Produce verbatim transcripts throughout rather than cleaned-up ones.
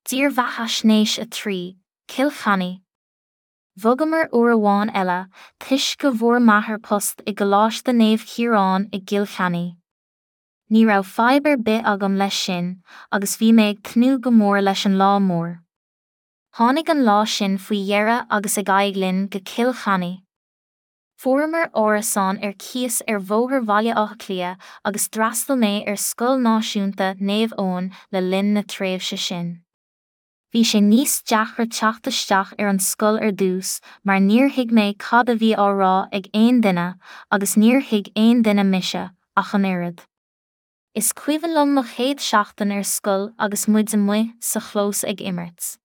Dírbheathaisnéis a trí, Cill Chainnigh. Bhogamar uair amháin eile, toisc go bhfuair m'athair post i gColáiste Naomh Chiaráin i gCill Chainnigh. Ní raibh fadhb ar bith agam leis sin, agus bhí mé ag tnúth go mór leis an lá mór. Tháinig an lá sin faoi dheireadh agus ag aghaidh linn go Cill Chainnigh. Fuaireamar árasán ar cíos ar Bhóthar Bhaile Átha Cliath agus d'fhreastail mé ar Scoil Náisiúnta Naomh Eoin le linn na tréimhse sin. Bhí sé níos deacra teacht isteach ar an scoil ar dtús mar níor thuig mé cad a bhí á rá ag aon duine agus níor thuig aon duine mise, ach an oiread. Is cuimhin liom mo chéad seachtain ar scoil agus muid amuigh sa chlós ag imirt.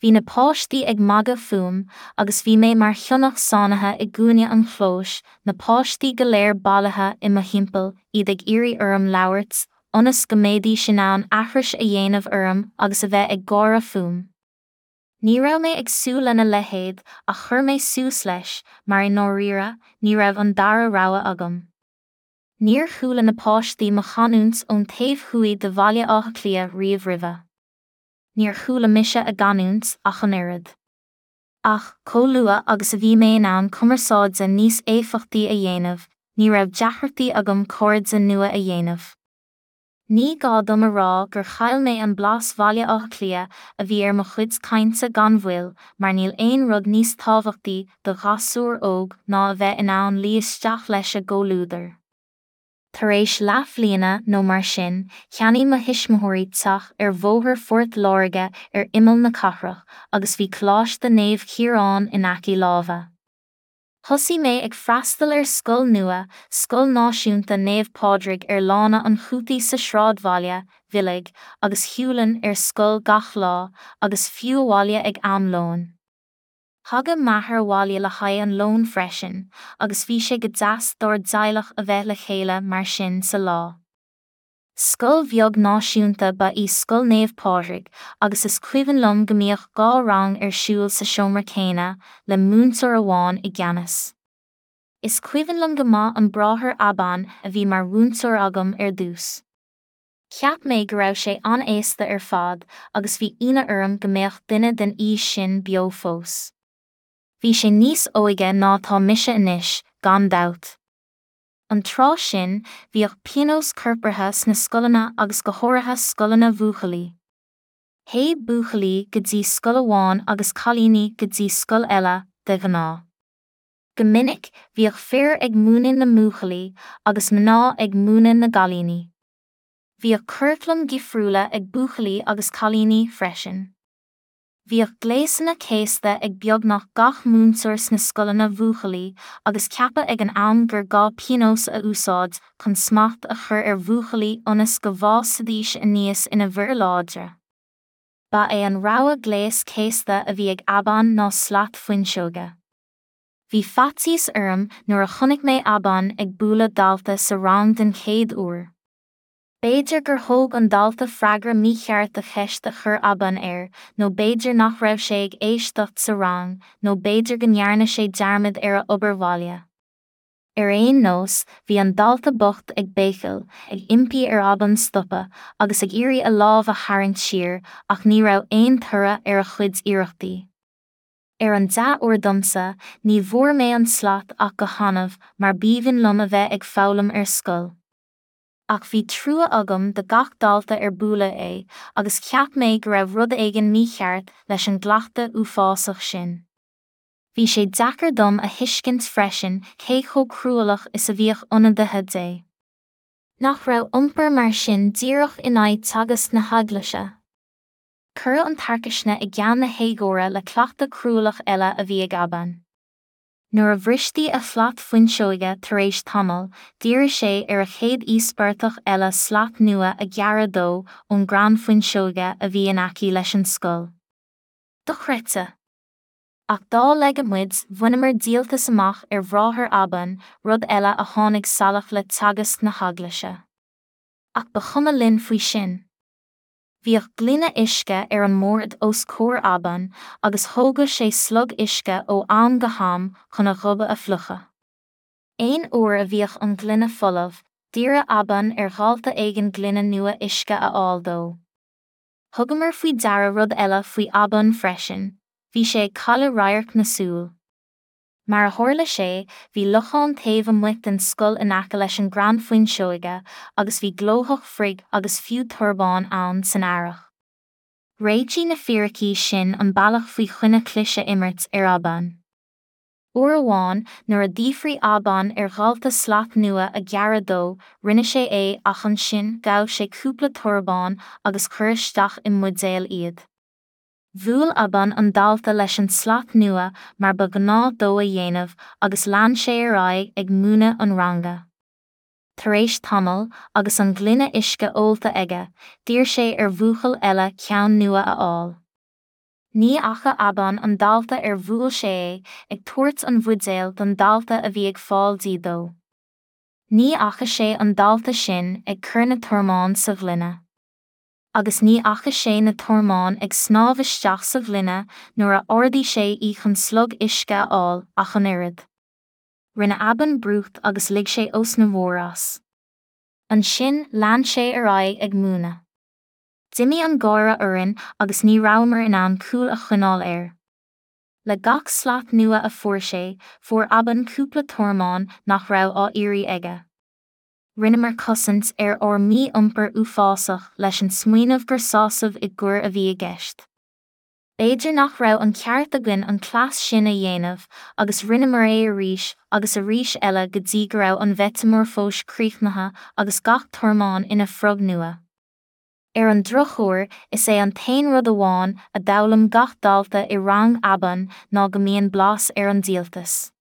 Bhí na páistí ag magadh fúm agus bhí mé mar shionnach sáinnithe i gcúinne an chlóis, na páistí go léir bailithe i mo thimpeall, iad ag iarraidh orm labhairt, ionas go mbeidís in ann aithris a dhéanamh orm agus a bheith ag gáire fúm. Ní raibh mé ag súil lena leithéid ach chuir mé suas leis mar i ndáiríre ní raibh an dara rogha agam. Níor chuala na páistí mo chanúint ón taobh thuaidh de Bhaile Átha Cliath riamh roimhe. Níor chuala mise a gcanúint ach an oiread. Ach, chomh luath agus a bhí mé in ann cumarsáide níos éifeachtaí a dhéanamh, ní raibh deacrachtaí agam cairde nua a dhéanamh. Ní gá dom a rá gur chaill mé an blas Bhaile Átha Cliath a bhí ar mo chuid cainte gan mhoill mar níl aon rud níos tábhachtaí do ghasúr óg ná a bheith in ann luí isteach leis a gcomhluadar. Tar éis leathbhliana nó mar sin, cheannaigh mo thuismitheoirí teach ar Bhóthar Phort Láirge ar imeall na cathrach agus bhí Coláiste Naomh Chiaráin in aice láimhe. Thosaigh mé ag freastal ar scoil nua, Scoil Náisiúnta Naomh Pádraig ar Lána an Chútaí sa sráidbhaile, Village, agus shiúlainn ar scoil gach lá, agus fiú abhaile ag am lóin. Thagadh m'athair abhaile le haghaidh an lóin freisin, agus bhí sé go deas dár dteaghlach a bheith le chéile mar sin sa lá. Scoil bheag náisiúnta ba í Scoil Naomh Pádraig agus is cuimhin liom go mbíodh dhá rang ar siúl sa seomra céanna, le múinteoir amháin i gceannas. Is cuimhin liom go maith an bráthair Abán a bhí mar mhúinteoir agam ar dtús. Cheap mé go raibh sé an-aosta ar fad agus bhí ionadh orm go mbeadh duine den aois sin beo fós. Bhí sé níos óige ná atá mise anois, gan dabht. An tráth sin, bhíodh pionós corpartha sna scoileanna agus go háirithe scoileanna bhuachaillí. Théadh buachaillí go dtí scoil amháin agus cailíní go dtí scoil eile, de ghnáth. Go minic, bhíodh fir ag múineadh na mbuachaillí agus mná ag múineadh na gcailíní. Bhíodh curaclaim dhifriúla ag buachaillí agus cailíní freisin. Bhíodh gléasanna céasta ag beagnach gach múinteoir sna scoileanna bhuachaillí agus ceapadh ag an am gur gá pionós a úsáid chun smacht a chur ar bhuachaillí ionas go bhfásfaidís aníos ina bhfir láidre. Ba é an rogha gléas céasta a bhí ag Abán ná slat fuinseoige. Bhí faitíos orm nuair a chonaic mé Abán ag bualadh dalta sa rang den chéad uair. B'fhéidir gur thóg an dalta freagra mícheart do cheist a chuir Abán air, nó b'fhéidir nach raibh sé ag éisteacht sa rang, nó b'fhéidir go ndearna sé dearmad ar a obair bhaile. Ar aon nós, bhí an dalta bocht ag béicil, ag impí ar Abán stopadh, agus ag iarraidh a lámh a tharraingt siar, ach ní raibh aon toradh ar a chuid iarrachtaí. Ar an dea-uair domsa, ní bhfuair mé an slat ach go hannamh, mar b'aoibhinn liom a bheith ag foghlaim ar scoil. Ach bhí trua agam do gach dalta ar bualadh é, agus cheap mé go raibh rud éigin mícheart leis an gcleachtadh uafásach sin. Bhí sé deacair dom a thuiscint freisin cé chomh cruálach is a bhíodh ionadaithe Dé. Nach raibh iompar mar sin díreach in aghaidh teagasc na heaglaise. Cuireadh an tarcaisne i gceann na héagóra le cleachtadh cruálach eile a bhí ag Abán. Nuair a bhristí a shlat fuinseoige tar éis tamaill, d'iarradh sé ar a chéad íospartach eile slat nua a ghearradh dó ón gcrann fuinseoige a bhí in aice leis an scoil. Dochreidte! Ach dá laige muid, bhaineamar díoltas amach ar bhráthair Abán, rud eile a tháinig salach le teagasc na heaglaise. Ach ba chuma linn faoi sin. Bhíodh gloine uisce ar an mbord os comhair Abán agus thógadh sé slog uisce ó am go ham chun a ghoba a fhliuchadh. Aon uair a bhíodh an ghloine folamh, d'iarradh Abán ar dhalta éigin gloine nua uisce a fháil dó. Thugamar faoi deara rud eile faoi Abán freisin, bhí sé ag cailleadh radharc na súl. Mar a tharla sé, bhí lochán taobh amuigh den scoil in aice leis an gcrann fuinseoige agus bhí glóthach froig agus fiú tormán ann san earrach. Réitigh na fíricí sin an bealach faoi choinne clis a imirt ar Abán. Uair amháin, nuair a d'fhiafraigh Abán ar dhalta slat nua a ghearradh dó, rinne sé é ach ansin ghabh sé cúpla tormán agus chuir isteach i mbuidéal iad. Bhuail Abán an dalta leis an slat nua mar ba ghnáth dó a dhéanamh agus lean sé ar aghaidh ag múineadh an ranga. Tar éis tamaill, agus an gloine uisce ólta aige, d'iarr sé ar bhuachaill eile ceann nua a fháil. Ní fhaca Abán an dalta ar bhuail sé é, ag tabhairt an bhuidéil don dalta a bhí ag fáil dí dó. Ní fhaca sé an dalta sin ag cur na tormán sa ghloine. Agus ní fhaca sé na tormáin ag snámh isteach sa ghloine nuair a ardaigh sé í chun slog uisce a fháil ach an oiread. Rinne Abán brúcht agus lig sé osna mhór as. Ansin lean sé ar aghaidh ag múineadh. D'imigh an gáire orainn agus ní rabhamar in ann cúl a choinneáil air. Le gach slat nua a fuair sé, fuair Abán cúpla tormán nach raibh á iarraidh aige. Rinneamar cosaint ar ár mí-iompar uafásach leis an smaoineamh gur sásamh i gcoir a bhí i gceist. B'fhéidir nach raibh an ceart againn an cleas sin a dhéanamh, agus rinneamar é arís agus arís eile go dtí go raibh an mheiteamorfóis críochnaithe agus gach tormán ina frog nua. Ar an drochuair, is é an t-aon rud amháin a d'fhoghlaim gach dalta i rang Abán ná go mbíonn blas ar an díoltas.